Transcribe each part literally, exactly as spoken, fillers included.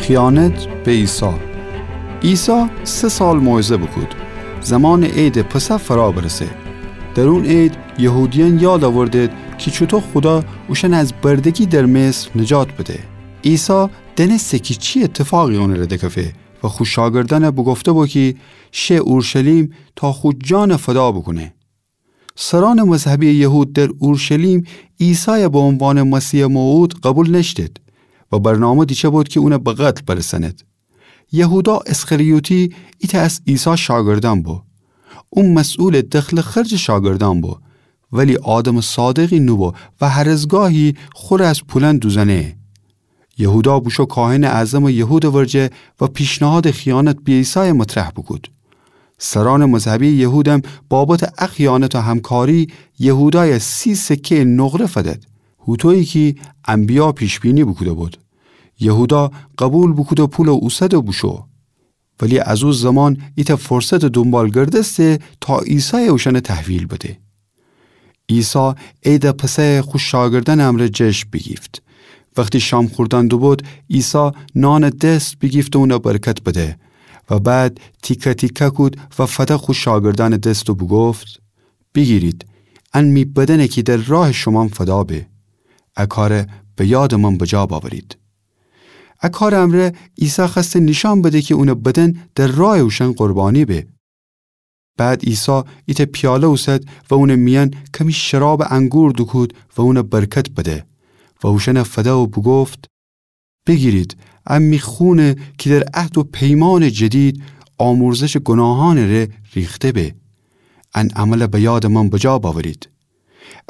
خیانت به عیسی. عیسی سه سال موعظه بوکود. زمانٚ عیدٚ پسح فرا برسه. در اون عید یهودیأن یاد آوردد کی چوطو خودا اوشأن از بردگی در مصر نجات بده. عیسی دأنسته کی چی ایتفاقی اونٚره دکفه و خو شاگردأن بوگفته بو کی شه اورشلیم تا خو جان فدا بوکونه. سرأنٚ مذهبی یهود در اورشلیم عیسای به عنوانٚ مسیحٚ موعود قبول نأشتید و برنامه دیچه بود کی اون به قتل برسأنید. یهودا اسخریوطی ایتأ از عیسی شاگردأن بو. او مسئولٚ دخل و خرجٚ شاگردأن بو، ولی آدمٚ صادقی نوبو و هر از گاهی خوره از پولأن دوزأنه. یهودا بوشو کاهنٚ اعظمٚ یهودٚ ورجه و پیشنهادٚ خیانت به عیسای مطرح بوکود. سرأنٚ مذهبی یهودم بابتٚ ا خیانت و همکاری یهودای سی سکه‌یٚ نقره فدد، هوطویی کی انبیا پیش‌بینی بوکوده بود. یهودا قبول بوکود و پول اوسد و بوشو. ولی از او زمان ایتأ فرصتٚ دونبال گردسته تا عیسای اوشأن تحویل بده. عیسی عیدٚ پسح خو شاگردأنٚ امرأ جشن بیگیفت. وختی شام خوردن دوبود، عیسی نانٚ دست بیگیفت و اون برکت بده و بعد تیکه تیکه کود و فده خو شاگردأنٚ دست و بوگفت: بیگیرید، ان می بدأنه کی در راهٚ شومأن فدا به. ا کار به یادٚ من بجا باورید. ا کارٚ امرأ عیسی خوأسته نیشأن بده کی اونٚ بدن در راهٚ اوشأن قربانی به. بعد عیسی ایتأ پیاله اوسد و اونٚ میأن کمی شرابٚ انگور دوکود و اون برکت بده و اوشأن فده و بوگفت: بیگیرید، ا می خونه کی در عهد و پیمانٚ جدید آمرزشٚ گوناهأنٚ ره ریخته به. ان عمل به یادٚ من بجا باورید.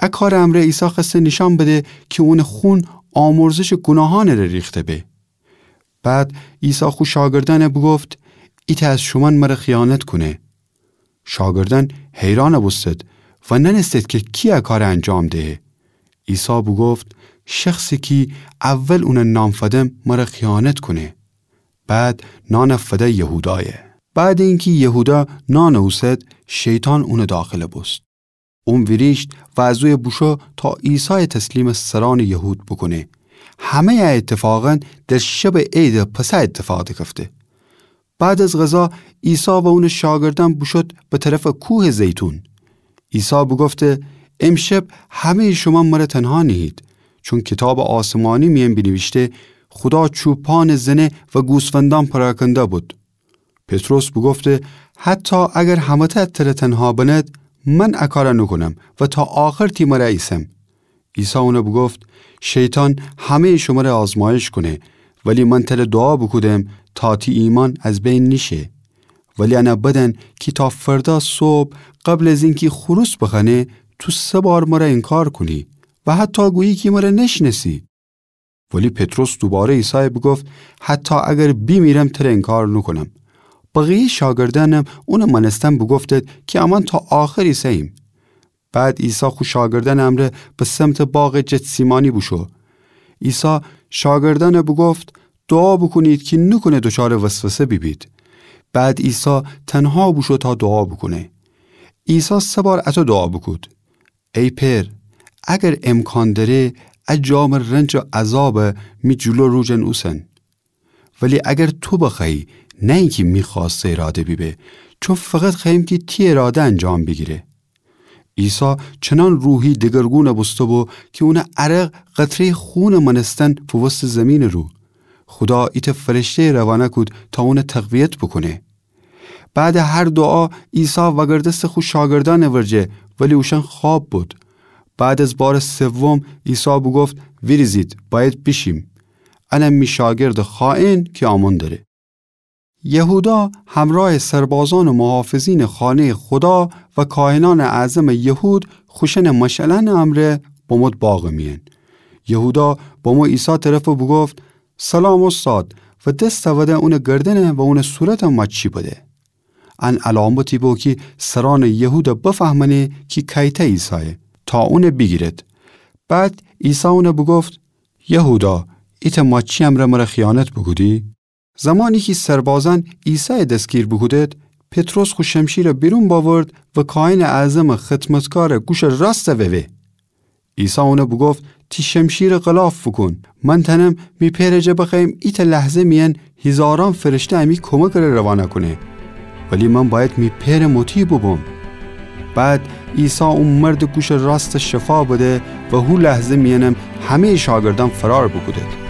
ا کارٚ امرأ عیسی خوأسته نیشأن بده کی اونٚ خون آمرزشٚ گوناهأنٚ ره ریخته به. بعد عیسی خو شاگردأن بوگفت: ایتأ از شومأن مر خیانت کونه. شاگردأن حیرأن بوستد و نأنستد کی کی ا کار انجام دهه. عیسی بوگفت: شخصی کی اول اون نان فدم مر خیانت کونه. بعد نان فده یهودای. بعدٚ اینکی یهودا نان اوسد، شیطان اونٚ داخل بوست. اون ویریشت و از اویه بوشو تا عیسای تسلیمٚ سرأنٚ یهود بوکونه. همه‌یٚ ا ایتفاقأن در شبٚ عیدٚ پسح ایتفاق دکفته. بعد از غذا عیسی و اونٚ شاگردأن بوشود به طرفٚ کوهٚ زیتون. عیسی بوگفته: امشب همه‌یٚ شومأن مر تنها نیهید، چون کیتابٚ آسمانی میأن بینیویشته: خودا چوپانٚ زنه و گوسفندأن پراکنده بود. پطرس بوگفته: حتی اگر همه‌تأ تر تنها بنید، من ا کار نوکونم و تا آخر تی مر ایسم. عیسی اون بوگفت: شیطان همه‌یٚ شمر آزمایش کونه، ولی من تر دعا بوکودم تا تی ایمأن از بین نیشه. ولی ان بدأن کی تا فردا صبح قبل از اینکی خروس بخوأنه، تو سه بار مر انکار کونی و حتی گویی کی مر نشنأسی. ولی پطرس دوباره عیسای بوگفت: حتی اگر بیمیرم تر انکار نوکونم. بقیه‌یٚ شاگردأنم اونٚ مأنستن بوگفتد کی امأن تا آخر ایسه‌ییم. بعد عیسی خو شاگردأنٚ امرأ به سمتٚ باغٚ جتسیمانی بوشو. عیسی شاگردأن بوگفت: دعا بوکونید کی نوکونه دوچارٚ وسوسه بیبید. بعد عیسی تنها بوشو تا دعا بوکونه. عیسی سه بار اطو دعا بوکود: ای پئر، اگر امکان دأره، ا جامٚ رنج و عذاب می جلو روجن اوسن. ولی اگر تو بخوأیی، نه اینکی می خوأسته اراده بیبه، چون فقط خوأییم کی تی اراده انجام بیگیره. عیسی چنأن روحی دگرگون بوسته‌بو کی اونٚ عرق قطره‌یٚ خونٚ مأنستن فووسته زیمینٚ رو. خودا ایتأ فرشته‌یٚ روانه کود تا اون تقویت بوکونه. بعدٚ هر دعا عیسی وأگردسته خو شاگردأنٚ ورجه، ولی اوشأن خواب بود. بعد از بارٚ سوم عیسی بوگفت: ویریزید، بأید بیشیم. ان می شاگردٚ خائن کی آمون دره. یهودا همرأیٚ سربازأن و محافظینٚ خانه‌یٚ خودا و کاهنأنٚ اعظمٚ یهود خوشأنٚ مشعلأنٚ امرأ بمود باغٚ میأن. یهودا بمو عیسی طرف و بوگفت: سلام استاد، و دس تأوده اونٚ گردن و اونٚ صورت ماچی بده. ان علامتی بو کی سرأنٚ یهود بفهمأنه کی کأیتأ عیسایه، تا اون بیگیرد. بعد عیسی اون بوگفت: یهودا، ایتأ ماچی امرأ مر خیانت بوکودی؟ زمانی کی سربازأن عیسای دسگیر بوکودد، پطرس خو شمشیر بیرون بأورد و کاهنٚ اعظمٚ خدمتکارٚ گوشٚ راست ووه. عیسی اون بوگفت: تی شمشیر غلاف بوکون. من تأنم می پئرٚ جا بخوأیم ایتأ لحظه میأن هیزاران فرشته امی کمکٚ ره روانه کونه، ولی من بأید می پئرٚ مطیع بوبوم. بعد عیسی او مردٚ گوشٚ راستَ شفا بده و هو لحظه میأنم همه‌یٚ شاگردأن فرار بوکودد.